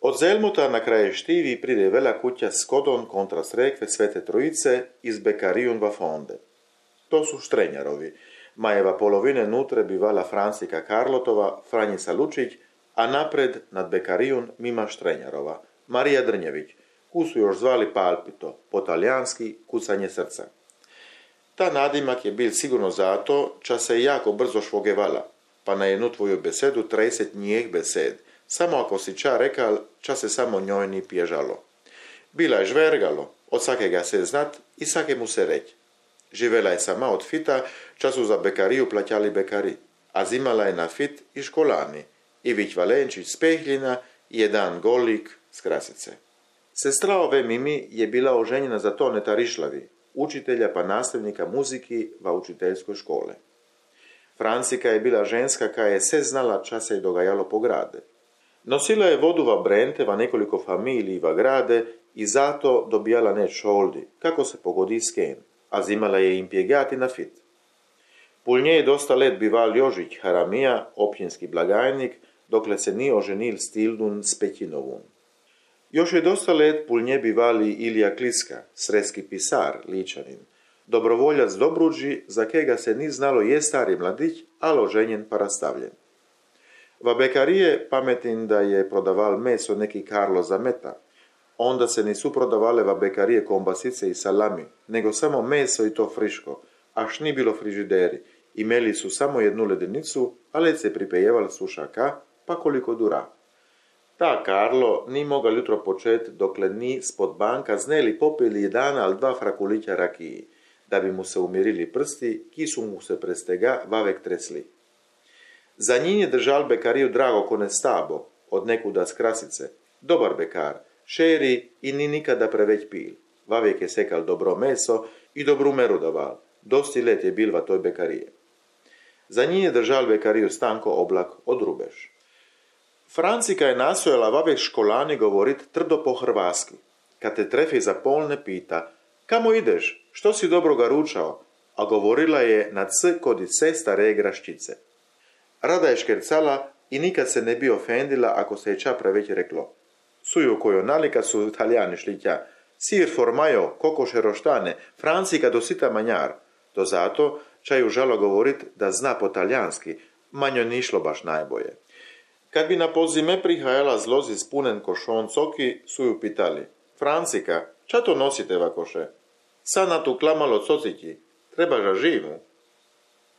Od Zelmuta na kraje Štivi pride veľa kuća s kodom kontra srekve Svete Trojice iz Bekarijun va fonde. To su Štrenjarovi. Majeva polovine nutre bivala Francika Karlotova, Franjica Lučić, a napred nad Bekarijun mima Štrenjarova, Marija Drnjević, ku su još zvali Palpito, po talijanski kucanje srca. Ta nadimak je bil sigurno zato, ča se jako brzo švogevala, pa na jednu tvoju besedu 30 njih besed, samo ako si ča rekal, ča se samo njoj ni pježalo. Bila je žvergalo, od svakega se znat i svake mu se reć. Živela je sama od fita, ča su za Bekariju plaćali Bekari, a zimala je na fit i školani, Ivić Valenčić s Pehljina i jedan Golik s Krasice. Sestra ove Mimi je bila oženjena za Toneta Rišlavi, učitelja pa nastavnika muziki va učiteljskoj škole. Francika je bila ženska koja je sve znala ča se je dogajalo po grade. Nosila je vodu va brente va nekoliko familiji va grade i zato dobijala ne šoldi, kako se pogodi s ken, a zimala je impjegati na fit. Pul nje je dosta let bival Jožić Haramija, općinski blagajnik, dokle se nije oženil s Tildun s Pećinovun. Još je dosta let pul nje bivali Ilija Kliska, sreski pisar, ličanin, dobrovoljac Dobruđi, za kega se ni znalo je stari mladić, ali oženjen pa rastavljen. Va Bekarije pametin da je prodaval meso neki Karlo Zameta, onda se nisu prodavale va Bekarije kombasice i salami, nego samo meso i to friško, až ni bilo frižideri, imeli su samo jednu ledenicu, ali se pripejeval sušaka, pa koliko dura. Ta Karlo ni mogal jutro počet dokle ni spod banka zneli popili jedan ali dva frakulića rakiji, da bi mu se umirili prsti, ki su mu se prestega vavek tresli. Za njim je držal Bekariju drago konestabo, od nekuda s Krasice, dobar Bekar, šeri i ni nikada preveć pil. Vavek je sekal dobro meso i dobru meru daval, dosti let je bil va toj Bekarije. Za njim je držal Bekariju Stanko Oblak od Rubeš. Francika je nastojala vavek školani govorit trdo po hrvaski. Kad te trefi za pol ne pita, kamo ideš, što si dobro ga ručao, a govorila je na c kod i se stare graščice. Rada je škercala i nikad se ne bi ofendila ako se je ča preveć reklo. Suju kojo nalika su italijani šlitja, sir formajo, kokoše roštane, Francika dosita manjar. To zato ča ju žalo govorit da zna po talijanski, manjo ni išlo baš najboje. Kad bi na pozime prihajala zlozi spunen košon coki, su ju pitali. Francika, ča to nosite vakoše? Sa na tu klamalo cociti, treba ža živu.